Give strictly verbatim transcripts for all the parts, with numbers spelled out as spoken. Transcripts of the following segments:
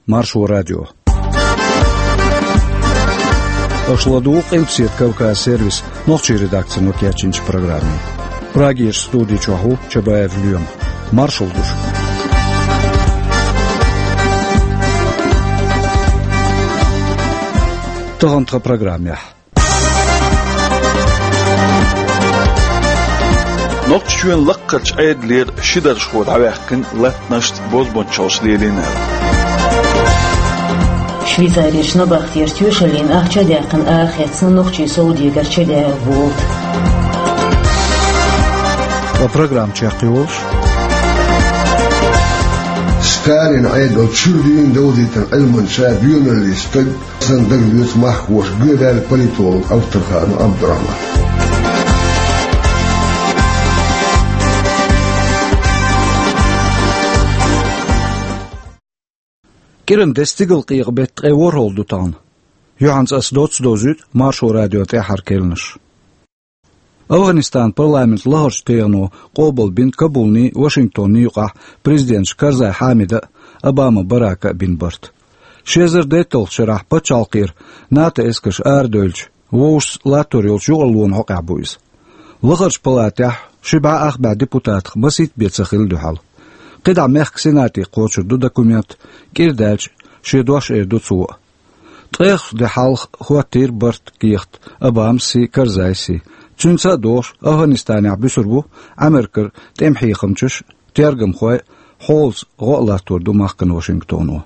Маршо радио. Аша ладугӀу Къилбаседа Кавказ сервисан нохчийн редакцино кечйинчу программе. Прагерчу студи чохь ву Чабаев Лоьма. Маршалла ду шуьга. Тахана тхан программехь. Нохчийчоьнан лакхарчу Ӏедалера ши даржхо дӀаваьккхина латтанашца бозбунчаллаш лелийна аьлла. Швейцарерчу набахтера тоьшаллина ахча а даьккхина, арахецна нохчийн совдегарчу чедаьлла болат. Ткъа программа чекхйолуш. Сталин Ӏедал чуьра дийна довзийтина Ӏилманча, доьналлин стаг, сан дагалоьцу махкахоша, гоьдаьлла политолог Авторханов Абдурахман. КӀиран деза стигалкъекъа беттан ткъе ворхӀалгӀа ду тахана. Юьхьанца ас доцца довзуьйту Маршо радион тӀаьххьара керланаш. АфгӀанистанан парламентан лахарчу тегӀано къобалбина Кабулний, Вашингтонний юкъахь президенташа Карзай Хьамида а, Обама Барака а бина барт. Ши эзар дейтталгӀачу шарахь пачхьалкхера НАТО эскарш арадевлча, вовшашца латтор йолчу юкъараллин хьокъехь бу иза. Лахарчу палатехь ши бӀе ах бӀе депутатах масийтта бен ца хилла дуьхьал. КхидӀа мехкан Сенате кхочур ду документ, кӀира даьлча, шен дош эр ду цо а. Ткъех де хьалха хӀоттийра барт кехат Обамас а, Карзайс а. Цуьнца а догӀуш, АфгӀанистанехь буьсур бу Америкера тӀеман хьехамчаш а, тергамхой а, хьолаца гӀо а латтор ду махкана Вашингтоно.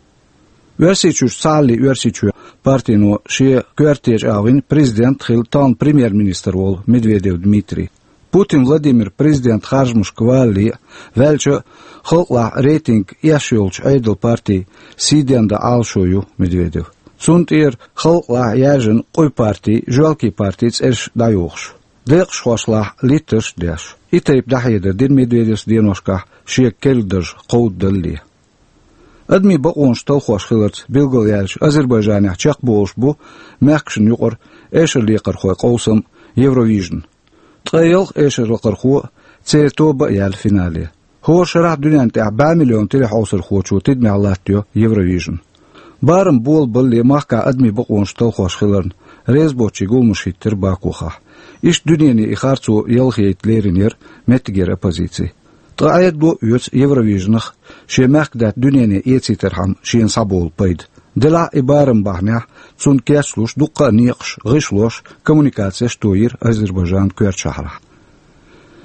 Оьрсийчуьрчу Цхьааллин Оьрсийчоь партино шен коьртачу агӀор вина президент а хилла, тахана премьер-министр волу Медведев Дмитрий. Путин Владимир президентан харжамашка валале а, ваьлча а, халкъалахь рейтинг эшна йолчу Ӏедалан партин сий денна Ӏалашо ю Медведев. Цунна тӀера халкъалахь яьржина къуй партин, жоьлкийн партин цӀераш дӀайохуш, декъашхошлахь литтарш а деш. И тайпа дӀахьедар дира Медведевс деношкахь шега керла дарж кховдадалале. Адамийн бакъонаш талхош хиларца билгалъяьлча, Азербайджанехь чекхболуш бу мехкашна юкъара эшарлекхархойн къовсам Евровижн. Ткъе ялх эшарлекхархо а, церан тоба а яьлла финале. ХӀора шарахь дуьненна тӀехь бӀе миллион телехьовсархочо тидамехь латтайо Евровижн. Барам болабалале махкахь адамийн бакъонаш талхош хиларна, реза боцчийн гуламаш хӀиттира Бакухахь. Иштта дуьнене и харцо ялхайта лерина яра меттигера оппозици. Ткъа Ӏедало а оьцу Евровижнах шен мехкдаьтта дуьнене эцийтархьама шена схьаболу пайда. Делахь а и барам бахьанехь, цунна кечлуш дуккха а некъаш, гӀишлош, коммуникацеш а тойира Азербайджанан коьртачу шахьарахь.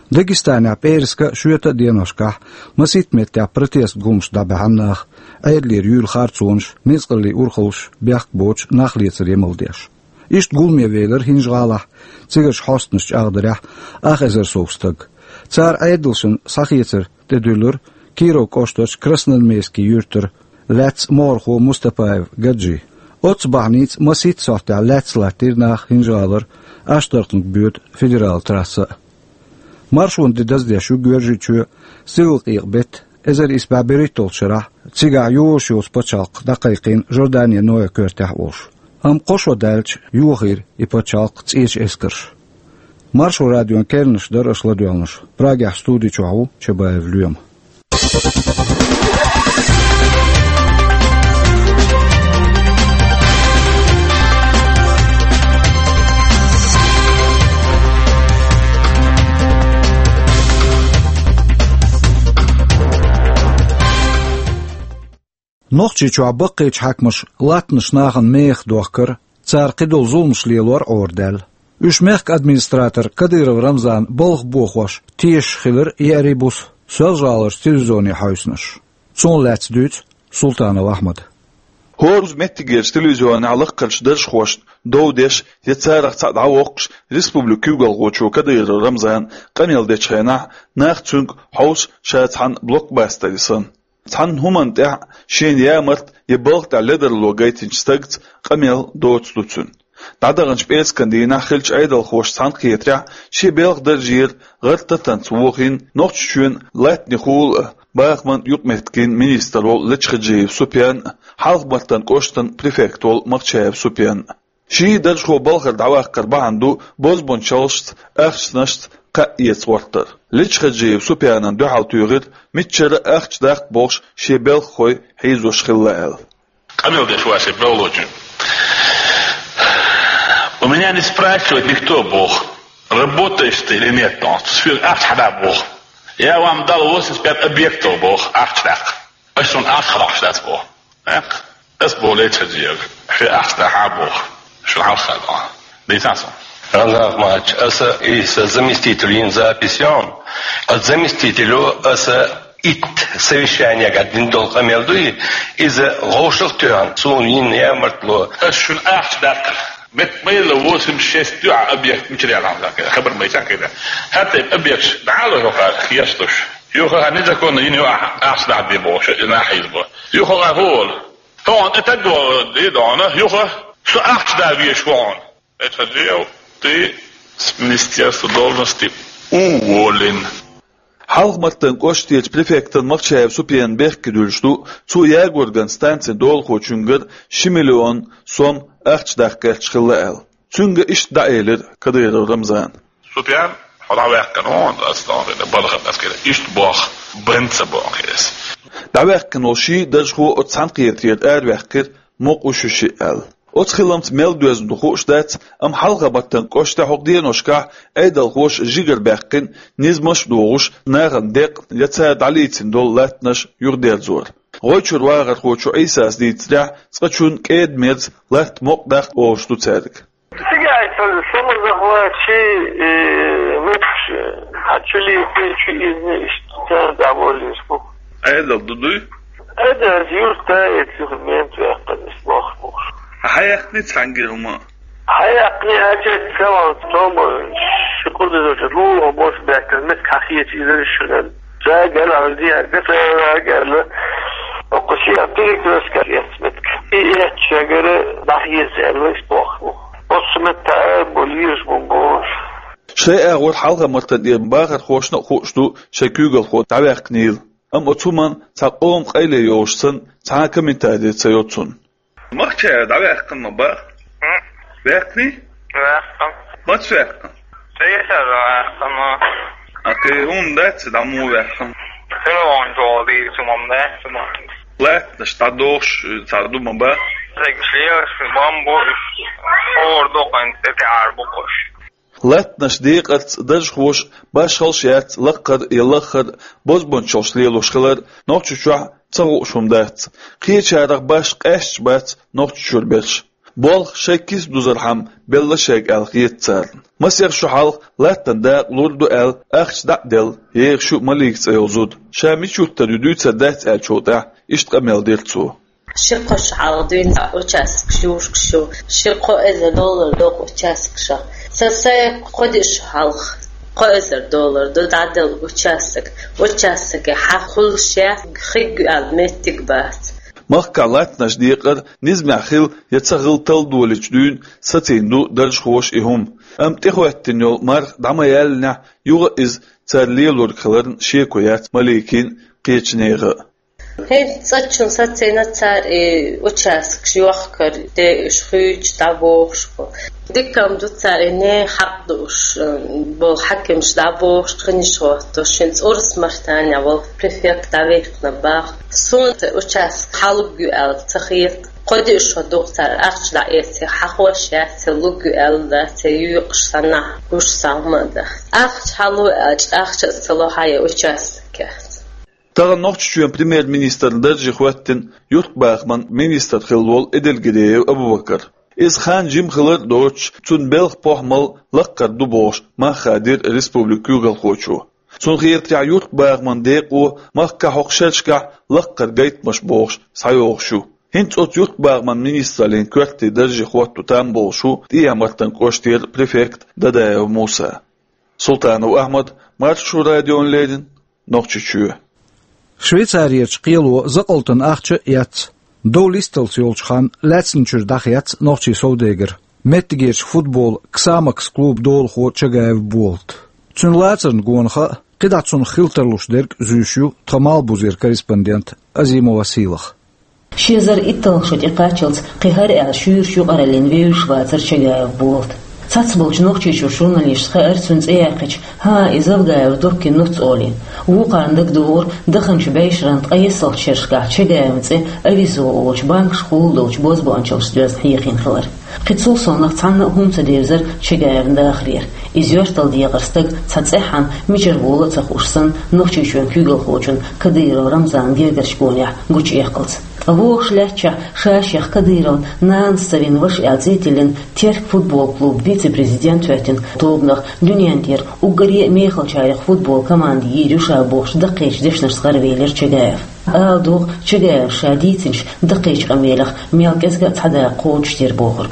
Дагестанехь пӀераска а, шоьта а деношкахь масийтта меттехь протест гуламаш дӀабаьхьна наха, Ӏедалера юьйлу харцонаш, ницкъаллийн урхаллаш бехк боцуш, нах лецар емал деш. Иштта гуламе велира ХӀинжа-ГӀалахь цигарчу хьостанаша чӀагӀдарехь ах эзар сов стаг. Цара Ӏедалшна схьахецар тӀедуьллура Кировн кӀоштарчу Красноармейски юьртара лаьцна могӀархо Мустапаев Гаджи. Оццу бахьаница масийтта сохьтехь лаьцна латтийра наха ХӀинжа-ГӀалара Аштаркханга боьду федералан трасса а. Маршонан де даздеш ю Георгийчоь, стигалкъекъа беттан эзар исс бӀе берхӀитталгӀачу шарахь, цигахь йозуш йоцу пачхьалкх дӀакхайкхийна Жорданин Ноя коьртехь а волуш. Амма кхо шо даьлча йохийра и пачхьалкх цӀечу эскарша. Маршо радион керланаш дара аша ладоьгӀнарш. Прагехь студи чохь ву Чабаев Лоьма. Нохчийчохь баккхийчу хьаькамаша латтанаш нахана мехах дохкар, цара кхидолу зуламаш лелор а Ӏорадаьлла. Уьш мехкан администратор Кадыров Рамзан балха бохош тешаш хилар еарий буса Соьлжа-ГӀаларчу телевизионе хьаьвсинарш. Цунах лаьцна дуьйцу Султанов Ахьмада. ХӀора меттигерчу телевизионехь лакхарчу даржхошна дов деш я царах цхьаъ дӀавоккхуш, республикан куьйгалхочо Кадыров Рамзана къамел дечу хенахь, нах цуьнга хьовсу ша цхьана блокбастере санна. Цхьана хӀуманна тӀехь шена ямарта я балха тӀехь ледарло гайтинчу стагца къамел доцу ду цуьнан. ДӀадаханчу пӀераскан дийнахь хиллачу Ӏедалхоша цхьаьнакхетарехь, шен белхан даржера гӀар-татанца вохийна Нохчийчоьнан латтанийн хула а, бахаман юкъаметтиган министр волу Лечхаджиев Супьян а, Хьалха-Мартан кӀоштан префект волу Махчаев Супьян а. Ший даржхо балхара дӀаваккхар бахьана ду бозбунчаллашца, ахчанашца кхаъ эца гӀортар. Лечхаджиев Супьянна дуьхьал туьйхира, миччара а ахча даккха бохуш шен белхахой хьийзош хилла аьлла. Къамел деш ваше беллочун. У меня не спрашивает никто, боху, работаешь ты или нет, он. Соьга ахча хьада, боху. Я вам дал восемьдесят пять объектов, боху, ахча даккха. Ас шуна ахча хьадоккхуш дац, боху. Ас боху Лейчхаджиевга, хье ахча дахьа, боху. Шуна хьалха дохьа. Дийцан со. Ранах мача, аса и са заместитель йин запись йон. А заместителю аса итт совещание гад дин дол къамел дуй, иза гъовшах тёхан, цун йин я мартло. Ас шуна ахча даккха. Мет майла восемьдесят шесть дуьа объект материалан закъе. Хабар май чаккхе. Хатта объект дала хьоха хеш туш. Юха незаконно йин ю ахча дахьа де бохуш, и нахьа из бо. Юха гӀа хӀула. Тхьона тӀе таг вогӀу де дона, юха со ахча да веш вогӀун. Эцхьа жев, ты с министерства должности уволен. Хьалха-Мартан кӀоштерчу префектан Махчаев Супьян бехке дуьллуш ду, цо Ягорган станцин долахочуьнгара ши миллион сом ахча даккха гӀерташ хилла аьлла. Цуьнга иштта дӀаэлира Кадыров Рамзана. Супьян, хьо дӀаваьккхина вон, ас дӀаваьккхина, бархат ас кхира. Иштта бох, бан ца боху хеза. ДӀаваьккхина волу ший даржхо оцу цхьаьнакхетарера араваьккхира, мукъа ву шу шиъ аьлла. Оцу хиламца мел доьзна ду хууш дац, амма Хьалха-Мартан кӀоштехь хӀокху деношкахь Ӏедалхоша жигара баьккхина, низамаш а дохуш, нахана декъна я цара дӀалийцина долу латтанаш юхадерзор. ГӀой чуьра вахархочо Ӏийсас дийцарехь, цкъачунна кӀеда-мерза латта мукъа даккха олуш ду цаьрга. Цигахь цхьа самозахват, ши, э, меттигаш, хьан чу лийцина, чу изна, иштта цара дӀаволлийш бу. Ӏедал ду дуй? Ӏедал юрта эца юха мент ваьккхина, иштта боху бохуш. Хьан яьккхина цхьаьнгге хӀума? Хьан яьккхина аьлча, цаван тома, ши кхуза доза лула хӀума бохуш баьхкина, меттиг хьан хеташ иза шуьнан. Жагар алди, гасара гала. Окху шиъ перекрестка эцмитка. И эцча гара дӀахьеца аьлла, иштта боху. Оцу метта а бу, лийраш бу бохуш. Шайн агӀор Хьалха-Мартан тӀера бахархошна а хууш ду шайн куьйгалхо дӀаваьккхинийла. Амма оцу хӀуманна цхьа къоман къайле йолуш санна, цхьа а комментари ца йо цунна. Махча дӀаваьккхина ма бах? М? Ваьккхиний? Ваьккхина. Маца ваьккхина? Цецара ваьккхина. А кхин хӀунда дац, дӀа муха ваьккхина? Телефон чохь дийцу мам дац ма. Латтанаш дӀадохуш цхьа ду ма бах? Цига шераш бам бу, хӀора дукхана тӀе тӀе Ӏар бу кхуш. Латтанаш декъарца даржхоша башхалш яц лаккхара я лаххара бозбунчаллаш лелош хилар Нохчийчохь ца хууш хӀума дац. Кхечарах башха къаьсташ бац Нохчийчуьра берш. Болх шайн киса дузархьама белла шайга аьлла хета царна. Масех шо хьалха латтан дакъа лур ду аьлла, ахча дӀа а делла, ехаш ю Малика цӀе йолу зуда. Ша мича юьттур ю дуьйцур дац аьллачул тӀаьхьа, иштта къамел дира цо. Ши кхо шо хьалха дуьйна участок шуьшка шу, ши кхо эзар доллар доккху участок ша. Сан сайн кхо диъ шо хьалха кхо эзар доллар ду дӀаделла участок. Участоке хьан хуьлуш яц, хиг аьлла меттиг бац. Махкахь латтанаш декъар низамехь хила я ца хила талла долийча дуьйна сацийна ду даржхоша и хӀума. Амма тӀехӀоьттина йолу марха дӀа ма яьллинехь, юха а иза цара лелорг хиларна шеко яц Маликин а, кхечу нехан а. ХӀинца цӀачунна сацийна цара и участкаш йохкар, де уьш хуьйцуш дӀабохуш бу. Дика-м ду цара и нехан хьакъ дууш болу хьаькамаш дӀабохуш, кхиниш хӀоттош, хӀинца Урус-Мартанехь волу префект дӀаваьккхина боху. Суна цу участка хьалуг ю аьлла ца хета. Кхо диъ шо ду-кх цара ахча дӀаэций, хьахош яц, луг ю аьлла дац, юкъаш санна гуш сан хӀума а дац. Ахча хьало аьлча, ахча а ца ло хьан я участок яц. Тахана Нохчийчоьнан премьер-министран дарже хӀоьттина юьртбахаман министр хилла волу Эдельгериев Абубакар. Иза хан жима хилар а доцуш, цуьнан белхан похӀмал лаккхара ду бохуш, мах хадийра республикан куьйгалхочо. Цунна хетарехь, юьртбахаман декъо махкахь хӀокху шерашкахь лаккхара гайтамаш бохуш схьайогӀуш ю. ХӀинца оцу юьртбахаман министраллин коьртачу дарже хӀотто там болуш ву ТӀехьа-Мартан кӀоштера префект Дадаев Муса. Султанов Ахьмад, Маршо радиона леррина, Нохчийчоь. Швейцарерчу кхело закъалтан ахча а эцна, дов листалц йолчу ханна лаьцначуьра дӀахецна нохчийн совдегар, меттигерчу футболан «Ксамакс» клубан долахо Чагаев Болат. Цуьнан лацарна гонах а, кхидӀа цунах хила тарлуш дерг а зуьйш ю тхан Малхбузера корреспондент Азимова Сийлаха. Ши эзар итталгӀа шо тӀекхаччалц кхин хӀара аьлла шуьйрачу юкъараллина вевзаш вацара Чагаев Болат. Цхьаболчу Нохчийчуьра журналисташка хаьара цуьнан цӀе яьккхича, хӀан, и Завгаев Доккин нуц олий. Вукхарна дагадогӀура даханчу бӀешеран ткъаесналгӀачу шерашкахь Чагаевн цӀе Авизо олучу банкашкахула долчу бозбуунчаллашца доьзна хьехийна хилар. Кхин цул совнаха цхьанна а хӀума ца девзара Чагаевн дахарера. Иза йоьрталла декъара стаг цхьа цӀеххьана мичара воло а ца хууш санна, Нохчийчоьнан куьйгалхочун Кадыров Рамзанан гергарчу гонехь гучуэккхалц. Ткъа вогӀуш лаьттачохь ша-шех Кадыровн нанас ца вина ваша аьлла цӀе а тиллина, Терк футбол клубан вице-президент хӀоьттина тобанах дуьнен тӀера уггаре а мехалчарех футбол команда йийр ю ша бохучу даккхийчу дешнашца гӀаравелира Чагаев. Ала догӀу, Чагаевс ша дийцинчу даккхийчу къамелех мел кӀезга а цхьа дакъа кхочушдира бохург.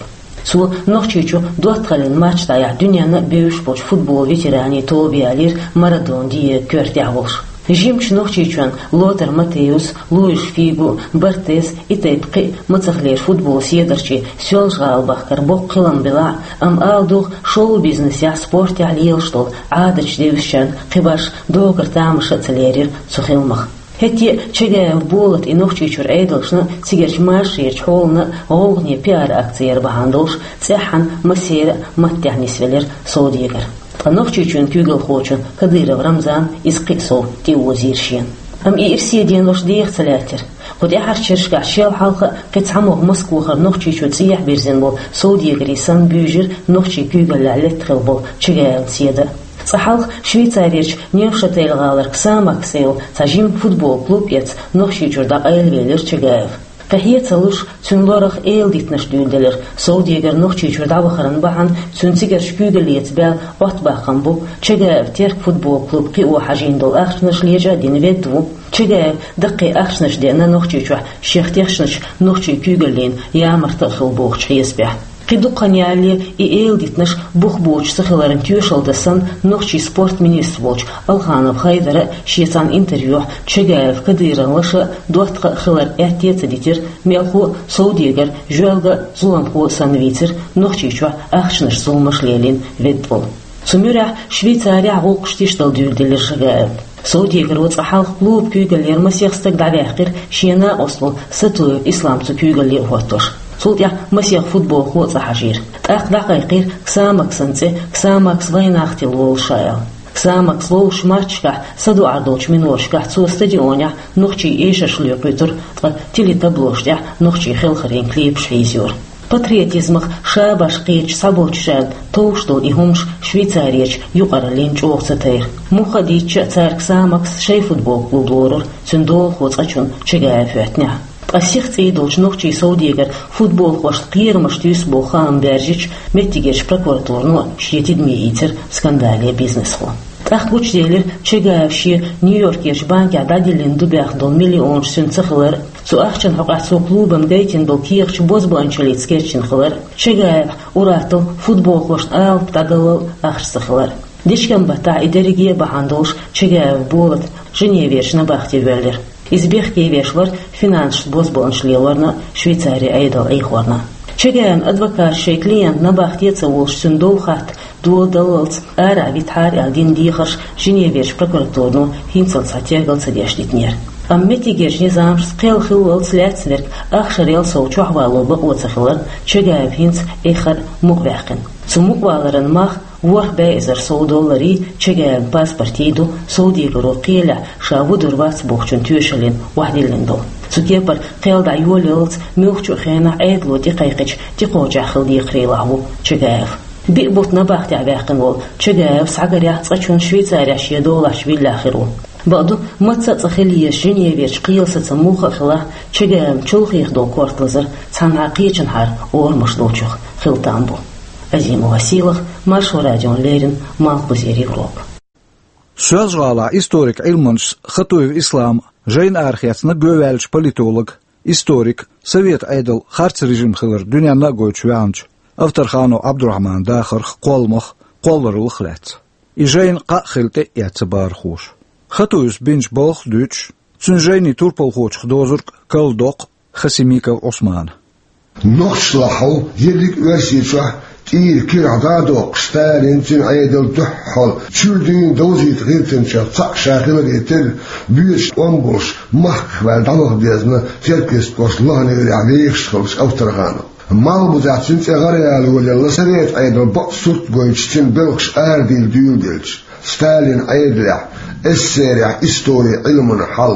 Цо Нохчийчу доттагӀаллин матч дӀаяхьа дуьненна а бевзаш болчу футбол ветеранийн тоба ялийра Марадона Диего коьртехь волуш. Жимачу Нохчийчоьнан Лотар Матеус, Луиш Фигу, Бартез, и тайпа кхин а мацахлера футбол седарчий Соьлжа-ГӀала бахкар боккха хилам белахь а, амма ала догӀу, шоу-бизнесехь, спортехь лелаш долу Ӏадаташ девзачарна кхин башха догара тамаша а ца лерира цу хиламах. ХӀетте а Чагаев Болат и Нохчийчуьра Ӏедалшна а, цигарчу машарерчу хьолана а гӀовгӀане пиар-акци яр бахьана долуш, цӀеххьана массеран а маттехь нисвелира Совдегар. Ткъа Нохчийчоьнан куьйгалхочун Кадыров Рамзанан иза кхин а сов тӀеозийра шена. Амма и ирсе денош деха ца лаьттира. Кху тӀаьхьарчу шерашкахь шел хьалха а кхин цхьамогӀа Москвахара Нохчийчу цӀехьа бирзина болу Совдегарий санна буьйжира нохчийн куьйгаллехь летта хилла болу Чагаевн седа а. Цкъа хьалха Швейцарерчу Невшатель-гӀалара Ксамакс олу цхьа жима футбол клуб эцна Нохчийчуьра дӀакъайлавелира Чагаев. Кхин хье а ца луш, цуьнан лорах эладитанаш дуьйладелира. Совдегар Нохчийчуьра дӀавахаран бахьана цуьнан цигарчу куьйгаллица баьлла Ӏоттабаккхам бу Чагаев Терк футбол клуб кхио хьажийна долу ахчанаш лечкъа а дина ведда ву. Чагаев даккхий ахчанаш деана Нохчийчохь шех тешначу нохчийн куьйгаллин ямарта а хилла бохучу хьесапехь. Кхин дукха хан ялале и эладитанаш бух боцуш ца хиларна тоьшалла дан санна, нохчийн спорт министр волчу Алханов Хайдара а шен цхьана интервьюхь Чагаев Кадыровн лаша а, доттагӀа а хилар аьтте а ца дитира, мелхо а, Совдегар жоьлга а, зуламхо а санна вийцира, Нохчийчохь ахчанаш зуламаш лелийна ведда волу. Цу муьрехь Швейцарехь гӀуллакхаш тиштал дуьйладелира Чагаевн. Совдегаро цкъа хьалха клубан куьйгаллера масех стаг дӀаваьккхира, шен накъост волу Сатуев Ислам цу куьйгалле а хӀоттош. Цул тӀаьхьа масех футболхо а цӀа хьажийра. ТӀаккха дӀакхайкхийра Ксамаксан цӀе, Ксамакс вайнах тилла волуш ша аьлла. Ксамакс ловзучу матчашкахь, садоӀар долчу миноташкахь цо стадионехь нохчийн эшарш лоькхуьйтура, ткъа телетаблошна тӀехь нохчийн хелхарийн клипаш хьийзайора. Патриотизмах ша-башха кхеташ цхьаболчарна товш долу и хӀумаш Швейцарерчу юкъараллина чӀогӀа ца тайра. Муха а дийцича а, цара Ксамакс шайн футбол клуб лорура, цуьнан долахо цкъачунна Чагаев хӀоьттинехь. Ткъа сиха цӀий долчу нохчийн Совдегара футболхошна кхерамаш туьйсу боху хаам баьржича, меттигерчу прокуратурано шен тидаме ийцира скандале бизнесхо. ТӀаккха гучуделира Чагаев шен Нью-Йоркерчу банкехь дӀадиллина дубаьхна долу миллионаш цуьнан ца хилар а, цу ахчанан хьокъехь цо клубана гайтина долу кехаташ бозбуунчаллица кечдина хилар а, Чагаевх ур-атталла футболхошна алапа дӀадаллал а ахча ца хилар а. Дечкен-баттахь и дерриге а бахьана долуш Чагаев Болат Женеверчу набахте воьллира. Иза бехке веш вара финансашца бозбуунчалле ларна а, Швейцаре Ӏедал Ӏехорна а. Чагаевн адвокаташа шайн клиент набахте а ца волуш, цуьнан дов хатта дола даллалц арахь витахьара аьлла дина дехарш Женеверчу прокуратурано хӀинццалц цхьа тергал ца деш дитинера. Амма меттигерчу низамашца кхел хиллалц лаьцнарг ахшарел сов чохь вало бакъо ца хиларна, Чагаев хӀинца эххар а мукъаваьккхина. Цу мукъаваларан мах ворхӀ бӀе эзар сов долларий, Чагаевн паспортий ду Совдегаро кхелехь ша вуьдур вац бохучун тоьшаллина охьадиллина долу. Цу кепара кхел дӀайолаялалц муьлххачу а хенахь Ӏедало тӀекхайкхича тӀекхочехь хила декхарийлахь ву Чагаев. Биъ бутт набахтехь ваьккхина волу Чагаев схьагарехь цкъачунна Швейцарехь шен долахьчу виллехь хир ву. Бакъду, мацца а цӀа хила еза Женеверчу кхелан сацам муха а хилахь, Чагаевн чулхеха долу корта лазар цхьанхьа кхечанхьара орамаш долчух хила там бу. Азимова Сийлаха, Маршо радиона леррина, Малхбузера Европа. Соьлжа-ГӀалахь историк Ӏилманчас Хатуев Ислама жайна арахецна гӀовгӀаьллачу политолога, историка, совет Ӏедал харц режим хилар дуьненна а гойтуш ваьхначу Авторханов Ӏабдурахьманан дахарх, кхолламах, кхоллараллах лаьцна. И жайна кхаъ хила тӀе а эцна бахархоша. Хатуевс бинчу балхах а дуьйцуш, цуьнан жайни турпалхочух дозург а карладоккху Хасимиков Ӏусмана. Нохчашлахь хьо ерриг а Оьрсийчохь Ира кирахь дӀа а доккхуш, Сталин, цуьнан Ӏедал дуьххьал чуьра дуьйна довзийта гӀиртинчех цхьаъ ша хиларе терра, боьдуш тӀом болуш, махках ваьлла дӀаваха дезна Теркйист кӀоштан лаханарехь вехаш хиллачу Авторханов. Малхбузехь цуьнан цӀе гӀараяла йолаелла совет Ӏедал бакъ сурт гойтуш, цуьнан белхаш арадийла дуьйладелча. Сталинан Ӏедалехь, СССР-ехь историн Ӏилманан хьал,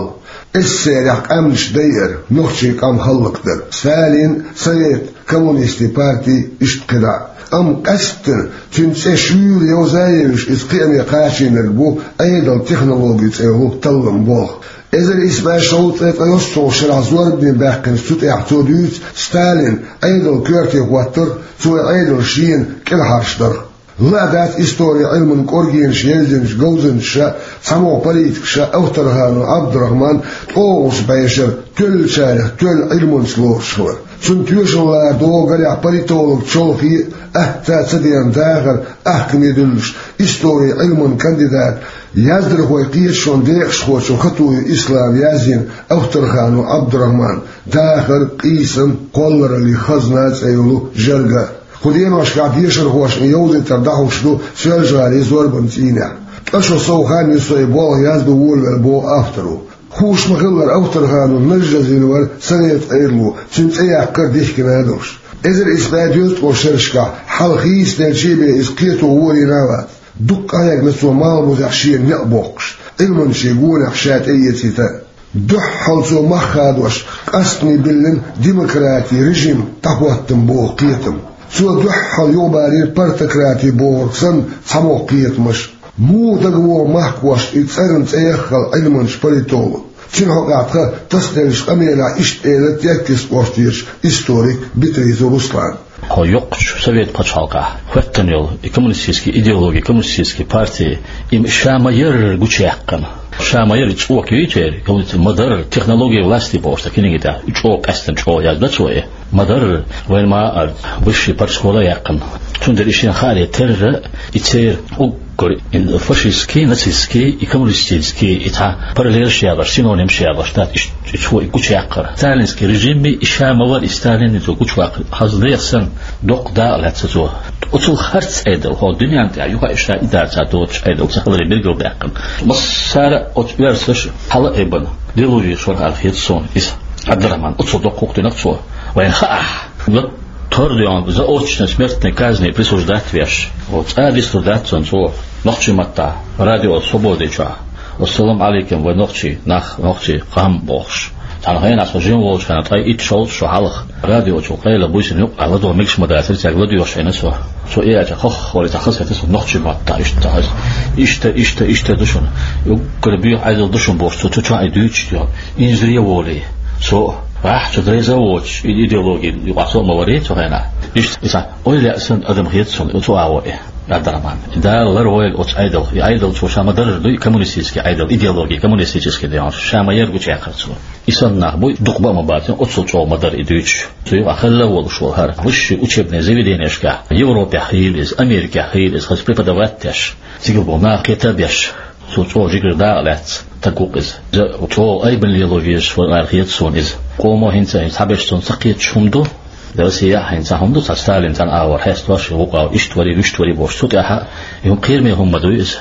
СССР-ехь къаьмнаш дайар, нохчийн къам хӀаллакдар. Сталин, совет, коммунистийн парти, иштта кхидӀа. Амма къаьсттина цуьнан цӀе шуьйра йовза а йовзуш, иза кхиаме кхачийнарг бу Ӏедалан технологи цӀе йолу таллам болх. Эзар исс бӀе шовзткъе ткъайоьссалгӀачу шарахь зорбане баьккхинчу цу тӀехь цо дуьйцу Сталин Ӏедалан коьрте хӀоттарх, цо и Ӏедал шена кӀелхьарш дарх. Лаа дац историн Ӏилманан кӀоргенаш евзинчу говзанчаша, цхьамогӀа политикаша Авторханов Ӏабдурахьман ткъолгӀачу бӀешара тоьллачарех тоьлла Ӏилманца лоруш хилар. Цунна тоьшалла лара догӀу, гарехь, политолог чолхе а, атта а ца деана дахар, ахкаме дуьллуш, историн Ӏилманан кандидат, яздархойн кхеташонан декъашхочун Хатуев Ислама язйина Авторханов Ӏабдурахьман, «Дахар, къийсам, кхоллараллин хазна» цӀе йолу жерга. Кху деношкахь дешархошна и йовзийтар дӀахьуш ду Соьлжа-ГӀалин зорбанан цӀийнехь. Ткъа шо сов хан ю со и болх яздо волавелла, боху авторо. Хууш ма-хиллара, Авторханов нажжазйина вара совет Ӏедало, цуьнан цӀе яккхар дихкина а долуш. Эзар исс бӀе доьзткъа шерашкахь хьалха хийцаделча бен иза кхето волийна а вац. Дуккха къахьегна цо Малхбузехь шена некъ боккхуш, Ӏилманчийн гонах ша тӀеэцийта. Дуьххьал цо мах хадош, къастане биллина демократин режим дӀахӀоттам боху кхетам. Цо дуьххьал юхабарийра партократи бохург санна цхьамогӀа кхетамаш. Муха дагавогӀу махкахошна и цӀарна цӀе яххал Ӏилманчу политолог? Цуьнан хьокъехь тхан тасаделлачу къамелехь иштта элира Теркйист кӀоштарчу историк Битрица Руслана. Хьо йоккхачу совет пачхьалкхехь хӀоьттина йолу и коммунистический идеологи, коммунистический парти, и ша ма-ярра гучуяьккхина. Ша ма-ярра и цӀока юй церан, ма-дарра технология власти бохуш сан книги тӀехь, и чӀогӀа къаьстина, чӀогӀа яздо цо и. Ма-дарра, вайн ма-, а, высший партшкола яьккхина. Цундела и шена хааре терра, и церан уггар и фашистский, нацистский и коммунистический и цхьа параллелаш ялош, синонимаш ялош дац, иштта и цо и гучуяккхар. Сталинский режимми и ша ма-варра и Сталинни цо гучуваккхар, хаза нехан санна, доккха дакъа лаьцна цо. Оцул харц Ӏедал, хӀокху дуьненна тӀехь юха иштта и дацахь доцуш Ӏедал ца хиларе билгалдаьккхина. Массара а оцу оьрсаша хьала а айбина, делури шорхьара хета суна иза. Ӏабдурахьман, оццул доккха хӀух динарг цо. Вайн хаахь, латтор деана заочно смертной казни присуждать веш, оцу цӀа дисур дац цунна цо, нохчийн маттахь, радио «Свобода» чохь. «Ассаламу Ӏалайкум, вайн нохчий нах, нохчий къам», – бохуш. Цхьана хенахь со жима волчу хенахь, ткъе итт шовзткъа шо хьалха, радио чу къайла буьйсина юкъахь ладогӀа мегаш ма дацара, цаьрга ладоьгӀуш Ӏийна со. Со и аьлча, хох-хори цхьа хазахетара со нохчийн маттахь, иштта хаза. Иштта, иштта, иштта ду шуна. Уггар боьха Ӏедал ду шуна бохуш, цо, цо чохь и дуьйцуш йо. Инзаре а волий. Со, ахь, цу дерза а воцуш, и идеологи юкъахь со а ма варий цу хенахь. Иштта, иза, ойла яа санна адам хета суна, цу агӀо и, Ӏабдурахьман. Дала ларвойла оцу Ӏедалх. И Ӏедал цо ша ма-дарра дуй, коммунистический Ӏедал, идеологи коммунистический даьлла, ша ма-ярра гучуяьккхира цо. И санна нах буй, дукха бан а ма бацара, оццул чӀогӀа ма-дарра и дуьйцуш. Цу юкъахь хилла а волуш вара хӀара. Высший учебный заведенешкахь, Европехь хийла иза, Америкехь хийла иза, хаза преподавать деш, цигахь болу нах кхета а беш, цо чӀогӀа жигара дакъа лаьцна стаг ву-кх иза. Иза чӀогӀа айбина лело везаш вара аьлла хета суна иза. Къомо хӀинца, хӀинца цхьаберш цунна ца кхеташ хӀума ду. Россияхь хӀинца хӀума ду, цхьа Сталин цӀан агӀор хьестош, вукъа, иштта варий, вуьшта варий бохуш, цу тӀехь а, и хӀума кхераме хӀума ма дуй иза.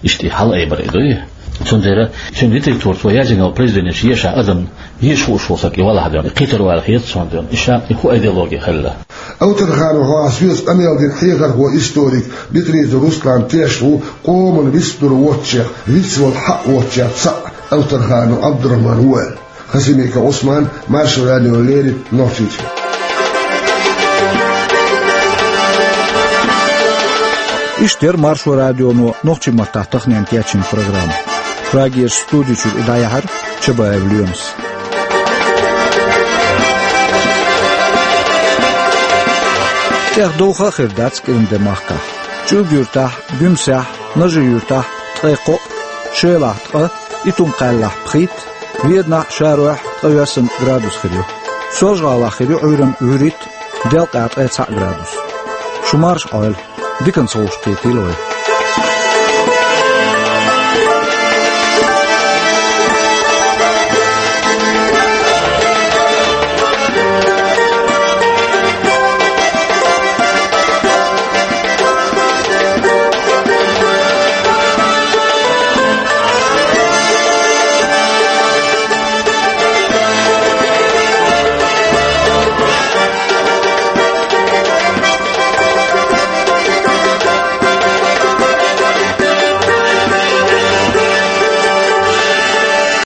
Иштта и хьала айбар и дуй. Цундела цуьнан литература, цо язйина йолу произведенеш ешахь адам, еша хууш волу стаг и валахь а, кхетар ву аьлла хета суна, и ша, и хӀун идеологи хилла. Авторханов хьо а соьца къамел дина хьехархо, историк Битрица Руслан тешна ву, къоман вистхир воцчех, вицвала хьаъ воцчех цхьаъ Авторханов Ӏабдурахьман ву аьлла. Хасимиков Ӏусман, Маршо радиона леррина, Нохчийчоь. Иштта яра Маршо радионо нохчийн маттахь таханенна кечйина программа. Прагерчу студи чуьра и дӀаяьхьира Чабаев Лоьмас. ТӀех довха а хир дац кӀиран де махкахь. ЧӀилг-Юьртахь, Гуьмсехь, Нажи-Юьртахь ткъе кхоъ, Шелахь ткъа, Итум-Кхаьллахь пхийтта, Веданахь, Шаройхь ткъайоьсна градус хир ю. Соьлжа-ГӀалахь хир ю Ӏуьйранна вуьрхӀитта, делкъехь ткъе цхьаъ градус. Шу марша Ӏойла, диканца вовшахкхетийла вай.